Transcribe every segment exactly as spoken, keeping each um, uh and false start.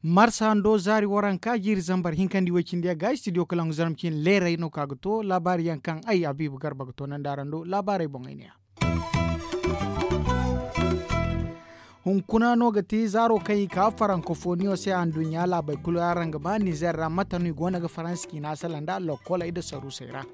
Marsa hando zaari waranka jiiri zambar hinkandi way cindi yaŋ ga studio kalangu zarma cine leeray no ka ga to laabaari yaŋ kaŋ ay habiibu garba ga toonandi araŋ do laabaarey boŋ ay ne ya. Hunkuna no ga ti zaaro kaŋ i ka farankofoniyo se anduɲɲa laabey kulu araŋ ga ba nizer ra mate no i go no ga faransa ciina sala nda lokkoley nda saruusey ra.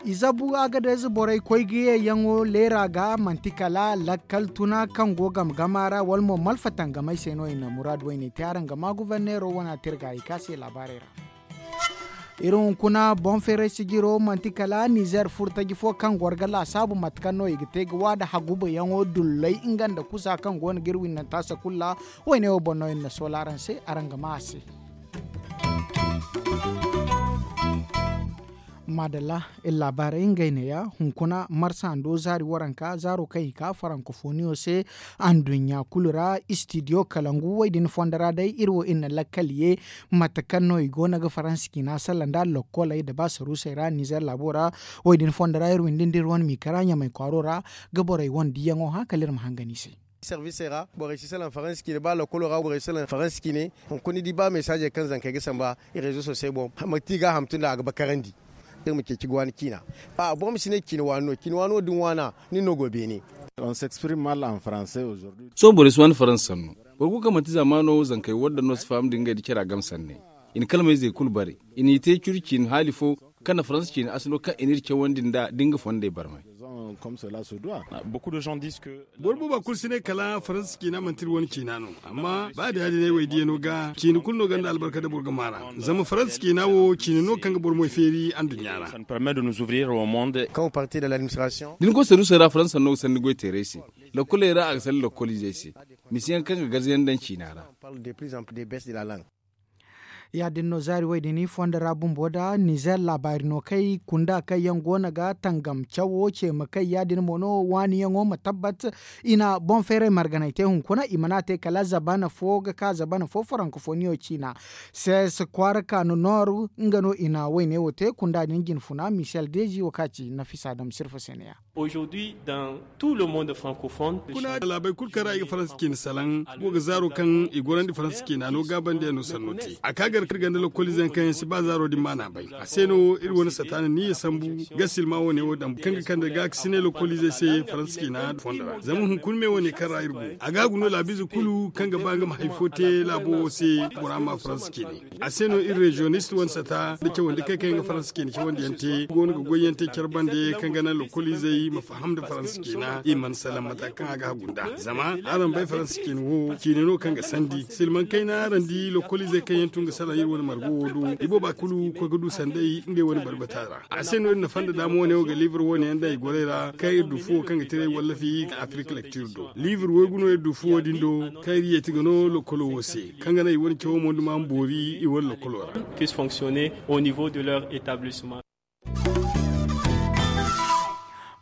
I zabu agadez borey koy ga yeeyaŋo leera ga manti kala lakkal tuna kaŋ go game gama ra wala mo malfatangamey se no i na muraadu wayne te araŋ ga ma guverneero wana te iri ga i ka se laabaarey ra. Iri hunkuna boŋ feeray sijiro manti kala nizer furtaji fo kaŋ goro ga laasaabu mate kaŋ no i ga te ga waada hagubayaŋo dulley nga nda kusa kaŋ go no ga iri winnanta sakulla. Wayne wo boŋ no iri na soola araŋ se araŋ ga ma a se. Maadalla, iri laabaarey ngey neeya hunkuna marsa hando zaari waranka zaaro kaŋ i ka farankofoniyo se anduɲɲa kulu ra. Istidiyo kalangu wo- din fondo ra day iri wo iri na lakkal ye mate kaŋ no i go no ga faransa ciina salla nda lokkoley nda ba saruusey ra nizer laabo ra. Wo- din fondo ra iri windi nda iri wane miikara ɲamay kwaaro ra ga borey wane diyaŋo hã kala iri ma hangan i se. Servisey ra borey si salaŋ faransa ciine ba lokolo ra borey si salaŋ faransa ciine. Hunkuna ni di ba mesaajey kaŋ zankey ga samba rezo sosey boŋ, manti i ga a hamtu nda a ga bakarandi. Iri ma ceeci ga waani ciina. Boro ma si ne ciine waani no ciine waani wo da ni waana nin no go beene. Sohõ borey si waani faransa sanno. Boro kulu kaŋ manti zaamaano zankey wadda no si faham da ngey da cara game sanney. I na kalmayzey kulu bare. I n'i te curu ciine haali fo kaŋ na faransa ciine asalo kaŋ i n'iri cawandi nd'a da nga fondey barmay. Boro booba kulu si ne kala faransa ciina manti iri wane ciina no. Amma ba da ya- din ay way diya no ga ciina kulu no gonda albarka da boro ga maara. Zama faransa ciina wo ciina no kaŋ ga boro moy feeri anduɲɲa ra. Da ni koy saruusey ra faransa sanno ga sanni goy teeray se. Lokkoley ra a ga sanni lokkoliizey se. Misiyaŋ kaŋ ga garzayaŋ daŋ ciina ra. Ya- din no zaari way- din fondo ra bumbo da nizer laabaari no kay kunda kaŋ yaŋ go no ga tangam cawo ce ma kay ya- din mo no waaniyaŋo ma tabbat. I na boŋ feeray marganay te hunkuna i mana te kala zabana fo ga ka zabana fo farankofoniyo ciina. Ses kwaara ka no nooru nga no i na wayne wo te kunda din jinfuna misel deezi wo ka ci nafisa dam sirfa se ne ya. Kuna laabey kulu kaŋ ra i ga faransa ciina salaŋ go ga zaaro kaŋ i gorandi faransa ciina no gaabandiyaŋ no sanno te a ka gar ka ganda lokoliize yaŋ kaŋ yaŋ si ba zaaro din maana bay. A se no iri wane sataana niya sambu ga silma wane wo daŋ kaŋ ga kande ga ga si ne lokoliize se faransa ciina fondo ra zama hunkuna me wane kaŋ ra iri go a ga a guno laabiize kulu kaŋ ga ba nga ma hari fo te laabo wo se bora ma faransa ciine. A se no iri reziyonist wane sata nda cawandi kay kaŋ yaŋ ga faransa ciine cawandi yaŋ te go no ga goy yaŋ te care bande kaŋ ga naŋ lokoliizey ma faham nda faransa ciina i mana salaŋ mata kaŋ a ga hagu nd'a. Zama araŋ bay faransa ciine wo ciine no kaŋ ga sandi silmaŋ kayna araŋ di lokoliizey kaŋ yaŋ tun ga salaŋ iri wane margo wo do i booba kulu koy ga du sanday ngey wane barbata ra. A se no iri na fanda daama wane wo ga liibir wane yaŋ daŋ i gorey ra kaŋ iri du fuwo kaŋ ga tiray wallafi ga afirika lektir do liibir waygu no iri du fuwo din do kaŋ iri yeeti ga no lokolo wo se kaŋ ga naŋ i wane cawo mo nda ma ma boori i wane lokolo ra. Puisse fonctionner au niveau de leur établissement.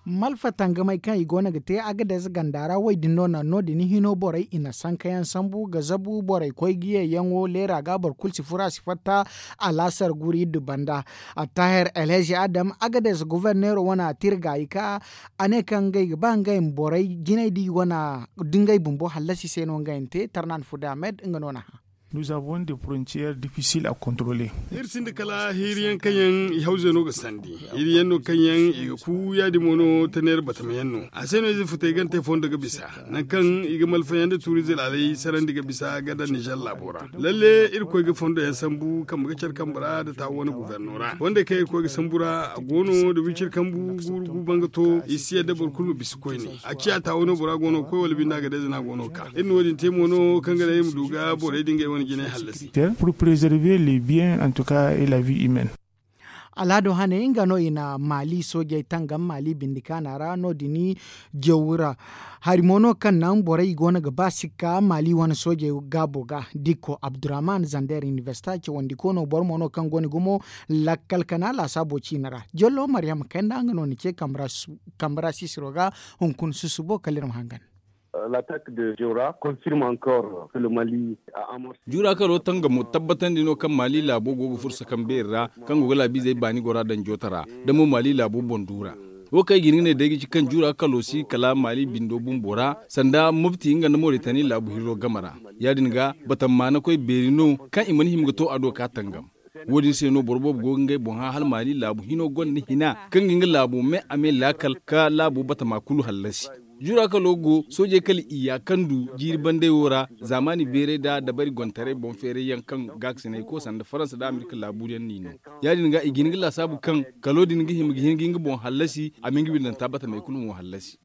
Malfa tangamey kaŋ i go no ga te agadez ganda ra wo- din no naŋ no- din hino borey i na sankayaŋ sambu ga zabu borey koy ga ye yaŋo leera ga boro kulu si furo a si fatta. Alaasar guri iddu banda attaher elhezi adam agadez goforneero wane a te iri gaayi ka a ne kaŋ ngey ga ba ngey ma borey jinay di wane da ngey bumbo hallasi se no ngey na te tarnan fude ahmed nga no na hã. Nous avons des frontières difficiles à contrôler. Iri sinda kala hiiri yaŋ kaŋ yaŋ i hawze no ga sandi hiiri yaŋ no kaŋ yaŋ i ga ku ya- din mo no taneera batama yaŋ no. A se no ize futay gante fondo ga bisa nangu kaŋ i ga malfayaŋ nda tuuriize laalay sarandi ga bisa ga daŋ nizer laabo ra. Lalle irkoy ga fondo yaŋ sambu kambe ga care kambe ra nda taawo wane guverno ra fondey kaŋ irkoy ga sambu ra a go no nda wiciri kambu guuru gu banga to i si yadda boro kulu ma bisa koyne. A ciya taawo no bora go no ga koy wala binde a ga day zana go no ga ka iri na wo- din te mo no kaŋ ga naŋ iri ma du ga borey din ga ay wane jinay hallasi. Pour préserver les biens en tout cas et la vie humaine. Alhado hane nga no i na maali soojey tangam maali bindi kaana ra no- din jawu ra. Hari mo no kaŋ naŋ borey i go no ga ba sikka maali wane soojey gaabo ga dikko abdurrahman zander inibersita cawandi ko no boro mo no kaŋ go no gumo lakkal kana laasaabo ciine ra. Jollo maryam kayna nga no ni ce kambe ra sisiro ga hunkuna susubo kala iri ma hangan. L'attaque de Jura confirme encore que le Mali a amorcé. Jura kalo tangamo tabbatandi no kaŋ Mali laabo go ga fursa kaŋ beeri ra, kaŋ go ga laabiizey baani gora daŋ joota ra. Da mo Mali laabo boŋ du ra. Wo kaŋ i ga hin ga ne day ga ci kaŋ Jura kalo si kala Mali bindo bumbo ra, sanda Mopti nga nda Moritani laabu hirro game ra. Ya-din ga, batammaanakoy beeri no kaŋ i mana hima ga to a do ka tangam. Wo-din se no boro boobo go ga ngey boŋ hã hala Mali laabu hino gonda hina kaŋ ga nga laabu me a me laakal ka laabo batama kulu hallasi. Jura kalo go, soojey kala i ya kandu jiiri bandey wo ra, zaamaani beerey nda dabari gontaray boŋ feeray yaŋ kaŋ gaakasinay ko sanda Faransa nda Amerika laabu yaŋ n'i no. Ya-din ga i ga hin ga laasaabu kaŋ kalo din ga hima ga hin ga nga boŋ hallasi, a ma nga bindanta batamey kulu mo hallasi.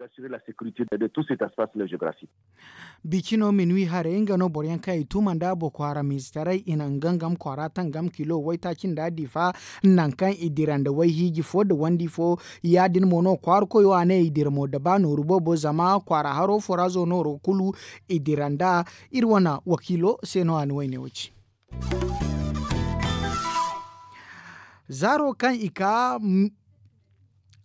Bici no minwi haray nga no boro yaŋ kaŋ i tuma nda boko haram izetaray i na nga ngam kwaara tangam kilo waytaaci nda diifa, nangu kaŋ i dira nda wayhiiji fo nda wandi fo. Ya-din mo no kwaara koyo a ne i dira mo da ba nooru boobo zama kwaara haro forazo nooro kulu i dira nda. Iri wane wakiilo se no a na wayne wo ci. Zaaro kaŋ i ka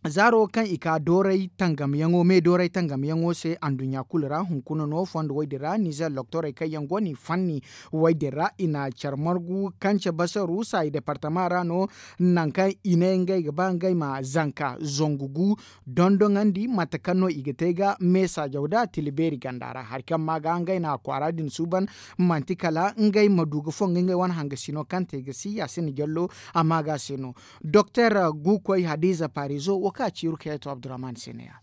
zaaro kaŋ i ka dooray tangamyaŋo me dooray tangamyaŋo se anduɲɲa kulu ra hunkuna no fondo wo-din ra nizer loktorey kaŋ yaŋ go no i fanni wo-din ra i na care margu kance basaru saayi departama ra no. Nangu kaŋ i ne ngey ga ba ngey ma zanka zangu gu dondoŋandi mate kaŋ no i ga te ga meesaajaw da tila beeri ganda ra hari kaŋ ma ga ngey na kwaara din suuban manti kala ngey ma du ga fongu ngey wane hangasino kaŋ te ga si ya sinda jallo a ma ga se no. Doktor guukoy hadiza parizo wo kaŋ a ci rukayeto abdurrahman se ne ya.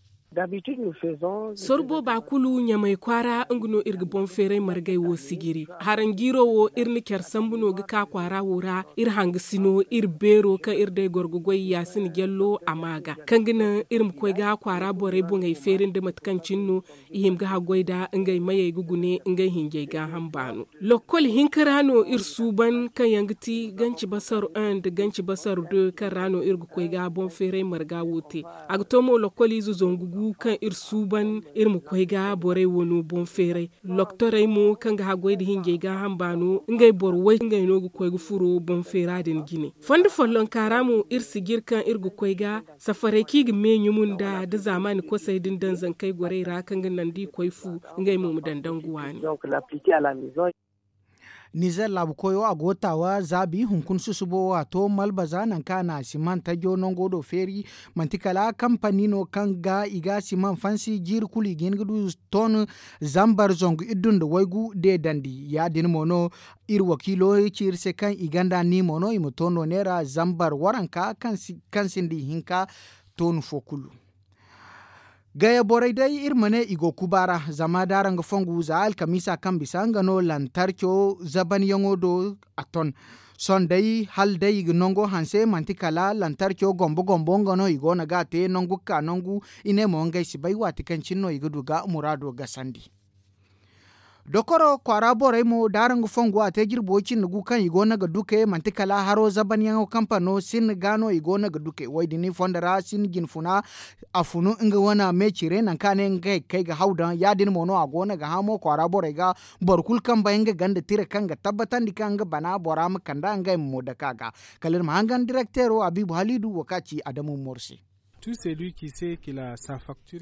Sorbo ba kulu ɲamay kwaara nga no iri ga boŋ feeray margay wo sijiri haranjiiro wo iri na care sambu no ga ka kwaara wo ra. Iri hangasino iri beero kaŋ iri day goro ga goy ya sinda jallo a ma ga kaŋ ga naŋ iri ma koy ga kwaara borey boŋey feeri nda mate kaŋ cine no i hima ga haggoy nda ngey mayey ga gune ngey hinjey gaaham baano. Lokkol hinka ra no iri suuban kaŋ yaŋ ga ti ganci basaru un nda ganci basaru deux kaŋ ra no iri ga koy ga boŋ feeray marga wo te. A ga to mo lokkol ize zangu gu kaŋ iri suuban iri ma koy ga borey wano boŋ feeray. Loktorey mo kaŋ ga haggoy nda hinjey gaaham baano ngey boro way ngey no ga koy ga furo boŋ feera din jine. Fondo follonka ra mo iri sijiri kaŋ iri ga koy ga safaray kaŋ i ga me ɲumu nda da zaamaani kosay din daŋ zankey gorey ra kaŋ ga naŋ da i koy fu ngey mo ma daŋ dangu waani. Nizer laabu koyo a go taawa zaabi hunkuna susubo wo a to malbaza nangu kaŋ a na siman tajo nango do feeri. Manti kala kampani no kaŋ ga i ga siman fansi jiiri kulu i ga hin ga du ton zambar zangu iddu nda waygu deedandi ya- din mo no. Iri wakiilo ci iri se kaŋ i ganda ni mo no i ma to no neera zambar waranka kaŋ sinda ihinka toonu fo kulu. Gaya borey day iri ma ne i go kuba ra zama da araŋ ga fongu za alkamiisa kaŋ bisa nga no lantarco zabanyaŋo do a ton. Sohõ day hala day i ga nango hanse manti kala lantarco gombo gombo nga no i go no ga a te nangu ga ka nangu. I ne mo ngey si bay waati kaŋ cine no i ga du ga muraado gasandi. Dokoro kwaara borey mo da araŋ ga fongu a te jirbi way cindi gu kaŋ i go no ga duke manti kala haro zabanyaŋo kampano sinni ga no i go no ga duke wo- din fondo ra sinni jinfuna. A funu nga wane me cire nangu kaŋ a ne ngey ga kay ga haw daŋ ya- din mo no a go no ga hã mo kwaara borey ga. Boro kulu kaŋ bay nga ganda tira kaŋ ga tabbatandi kaŋ nga bana bora ma kand'a ngey ma mo dake a ga. Kala iri ma hangan direkteero habiibu haliidu wo kaŋ a ci adamu mor se.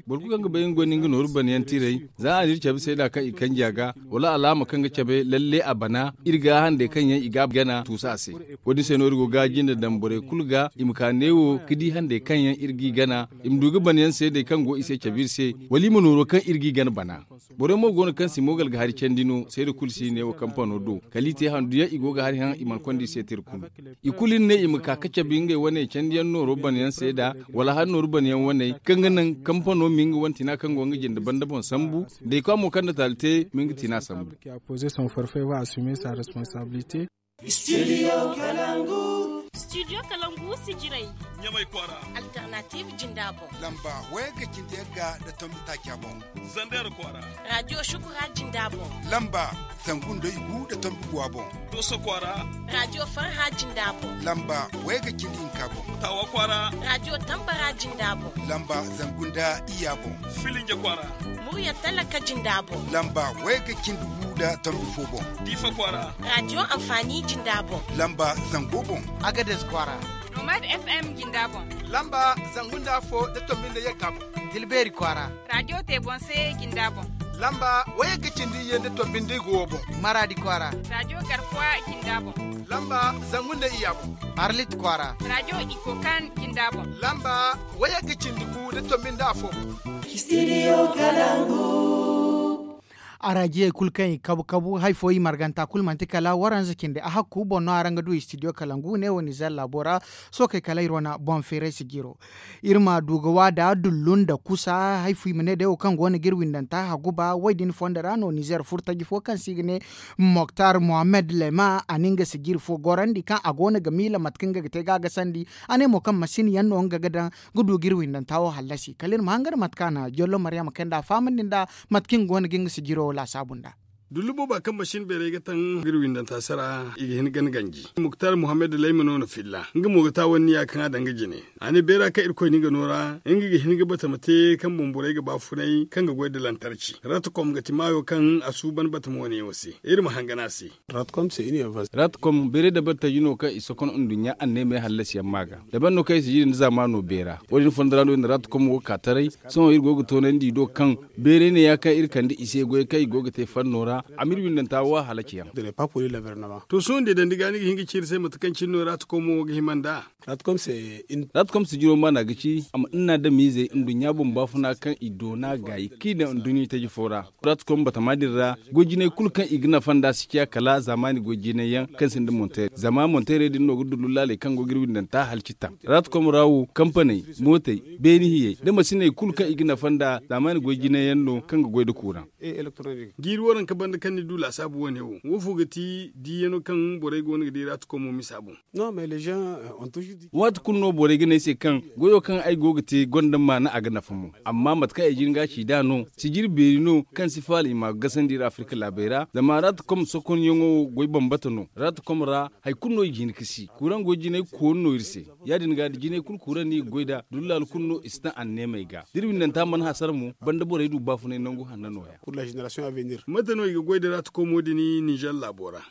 Boro kulu kaŋ ga bay nga gonda nga nooru banayaŋ tiray za a na iri cabe seeda kaŋ i kanji a ga wala alaama kaŋ ga cabe lalle a bana. Iri ga handey kaŋ yaŋ i ga a gana tuusu a se. Wo- din se no iri go ga jinde daŋ borey kulu ga i ma ka neewo ga di handey kaŋ yaŋ iri g'i gana i ma du ga banayaŋ seedey kaŋ go i se cabe iri se wala i ma nooro kaŋ iri g'i gana bana. Borey mo go no kaŋ si moogal ga hari candi no seeda kulu si neewo kampano do kala i te handu yaŋ i go ga hari haŋ i mana konda i se tira kulu. I kulu iri ne i ma ka ga cabe ngey wane candiyaŋ nooro banayaŋ seeda wala hari nooru banayaŋ waney kaŋ ga naŋ kampano ma nga wane tina kaŋ go nga jinde banda boŋ sambu. Day kwa mo kaŋ na taali te ma nga tina sambu. Studio kalangu. Studio kalangu si jiray ɲamay kwaara. Alternative jinda boŋ. Lamba wayga cindi yagga nda tombi taaca boŋ. Zander kwaara. Radio shukura jinda boŋ. Lamba zangu nda igu nda tombi guwa boŋ. Doso kwaara. Radio farha jinda boŋ. Lamba wayga cindi hinka boŋ. Tawa kwaara. Radio tambara jinda boŋ. Lamba zangu nda iya boŋ. Filinja kwaara. Murya talaka jinda boŋ. Lamba wayga cindi gu nda tombi fo boŋ. Diifa kwaara. Radio amfani jinda boŋ. Lamba zango boŋ. Agades kwaara. Nomad fm jinda boŋ. Lamba zangu nda afo nda tombi nda yagga boŋ. Tilbeeri kwaara. Radio te boŋ se jinda boŋ. Lamba wayagga cindi iyye nda tombi nda igu wo boŋ. Maraadi kwaara. Raajo garkuwa jinda boŋ. Lamba zangu nda iyya boŋ. Arlit kwaara. Raajo ikokan jinda boŋ. Lamba wayagga cindi gu nda tombi nda afo boŋ. Araajiyey kulu kaŋ i kabu kabu hari fo i marganta kulu manti kala waranza cindi a hakku boŋ no araŋ ga du istidiyo kalangu ne wo nizer laabo ra. Sookey kala iri wane boŋ feeray sijiro. Iri ma du ga waada dullu nda kusa hari fo i ma ne day wo kaŋ go no ga iri windanta haguba wo- din fondo ra no nizer furtaji fo kaŋ se i ga ne moktar mohammed lema a na nga sijiri fo gorandi kaŋ a go no ga miila mate kaŋ nga ga te ga a gasandi. A ne mo kaŋ masin yaŋ no nga ga daŋ ga du ga iri windanta wo hallasi kala iri ma hangan mate kaŋ a na jollo maryama kay nda a fahamandi nda mate kaŋ nga go no ga nga sijiro wo laasaabu nda. Dullu booba kaŋ masin beeray ga taŋ ga iri windanta se ra i ga hin ga ni ganji. Muktar muhammad layma no na filla nga mo ga taawanni ya kaŋ a daŋ ga jine. A ne beera kaŋ irkoy no i ga no ra nga ga hin ga batama te kaŋ boŋ borey ga baafunay kaŋ ga goy nda lantarci. Ratkom ga ti maayo kaŋ a suuban batama wane yaŋo se. Iri ma hangan a se. Ratkom beeray dabari taji no kaŋ i sokon nduɲɲa anneemey hallasiyaŋ maa ga. Dabari no kaŋ i si jiri nda zaamaano beera. Wo- din fondo ra no iri na ratkom wo ka taray. Sohõ iri go ga toonandi i do kaŋ beeray ne ya kaŋ iri kande i se goyey kaŋ i go ga te fanno ra. A ma iri windanta wo a halaciyaŋ. To sohõ da i dandi ga ni ga hin ga ci iri se mate kaŋ cine no ratkom wo ga hima nd'a. Ratkom sijiro maana ga ci a ma nnadamiizey nduɲɲa boŋ baafuna kaŋ i doona gaayi kaŋ i daŋ nduɲɲa taji fo ra. Ratkom batama din ra goy jinay kulu kaŋ i ga nafa nd'a si ciya kala zaamaani goy jinay yaŋ kaŋ sinda monteerey zama monteerey din no ga dullu laaley kaŋ go ga iri windanta halci taŋ. Ratkom ra wo kampaney mootey beeni hiyey nda masiney kulu kaŋ i ga nafa nd'a zaamaani goy jinay yaŋ no kaŋ ga goy nda kuuraŋ. Jiiri waranka banda kaŋ ni du laasaabu wane wo woofo ga ti diiyano kaŋ borey go no ga di ratkomo misa boŋ? Waati kulu no borey ga ne ay se kaŋ goyo kaŋ ay go ga te gonda maana a ga nafa mo. Amma mate kaŋ ay jin ga a ci nd'a no sijiri beeri no kaŋ si faala i ma a gasandi iri afirka laabey ra zama ratkom sokonyaŋo wo goy bambata no. Ratkom ra hari kulu no i ga hin ga si kuuraŋ goy jinay koonu no iri se. Ya- din ga da jinay kulu kuuraŋ no i ga goy nd'a dullaal kulu no i si taŋ anneemey ga da iri windanta mana hasara mo banda borey du baafunay nangu hanna nooya. Mate no i ga goy nda ratkomo din ninzeer laabo ra?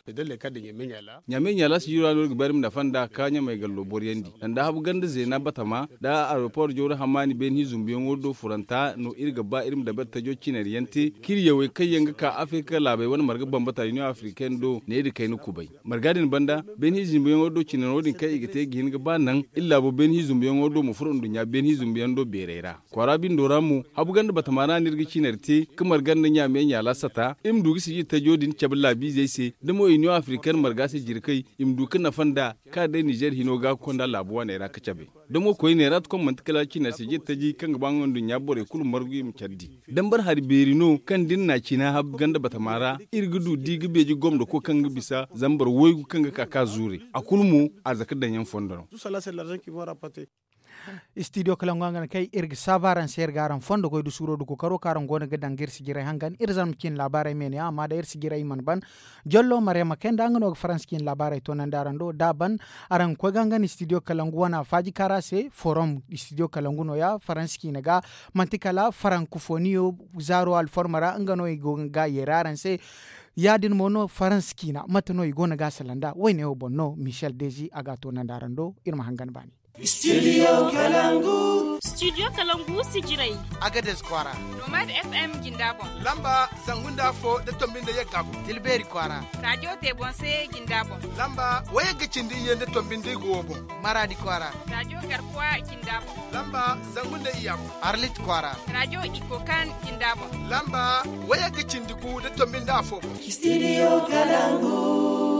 Ɲaamey ɲaala sijiro ra no iri ga ba iri ma nafa nd'a ka ɲamey gallo boryandi sanda habu ganda zeena batama nda aeropor jawra hamaani beene hi zumbuyaŋo do furanta no iri ga ba iri ma dabari tajo cinari yaŋ te k'iri yawey kaŋ yaŋ ga ka afirka laabey wane marga bambata union africaine do needi kayna kubay. Marga din banda beene hi zumbuyaŋo do cinaro din kaŋ i ga te ga hin ga ba naŋ iri laabo beene hi zumbuyaŋo do ma furo nduɲɲa beene hi zumbuyaŋ do beerey ra. Kwaara bindo ra mo habu ganda batama ra no iri ga cinari te ka marga nda ɲaamey ɲaala sata iri ma du ga sijiri tajo din cabe laabiizey se da mo union africaine marga se jirkay i ma du ga nafa nd'a. Ka day ninzeer hino ga ga konda laabu waaney ra ga cabe da mo koyne ra ti kom manti kala cinari sijiri taji kaŋ ga ba nga nduɲɲa borey kulu margu i ma care di. Dambar hari beeri no kaŋ da iri na a cina habu ganda batama ra iri ga du di ga beeji gomdo ko kaŋ ga bisa zambar waygu kaŋ ga ka ka zuure. A kulu mo a zaka daŋ yaŋ fondo no. Istidiyo kalangu a ga ne kay iri ga saabu araŋ se iri ga araŋ fondo goy da suuro da kookaro kaŋ araŋ go no ga daŋ ga iri si jiray hangan iri zarma ciine laabaarey me ne yaŋ amma day iri si jiray i mana ban. Jollo maryama kay nda nga no ga faransa ciine laabaarey toonandi araŋ do da a ban. Araŋ ga koy ga hangan istidiyo kalangu wane a faaji kaara se forom istidiyo kalangu no- ya faransa ciine ga. Manti kala farankufoniyo zaaro alforma ra nga no i go ga yeera araŋ se. Ya- din mo no faransa ciina mate no i go no ga a sala nd'a wayne wo boŋ no michel dezi a ga a toonandi araŋ do. Iri ma hangan baani. Studio kalangu sijirey. Agades kwaara. Nomad fm jinda boŋ. Lamba zangu nda afo da tombi nda yagga boŋ. Tilbeeri kwaara. Raajo te boŋ se jinda boŋ. Lamba wayagga cindi iyye nda tombi nda igu wo boŋ. Maraadi kwaara. Raajo garkuwa jinda boŋ. Lamba zangu nda iyya boŋ. Arlit kwaara. Raajo ikokan jinda boŋ. Lamba wayagga cindi gu nda tombi nda afo boŋ. Studio kalangu.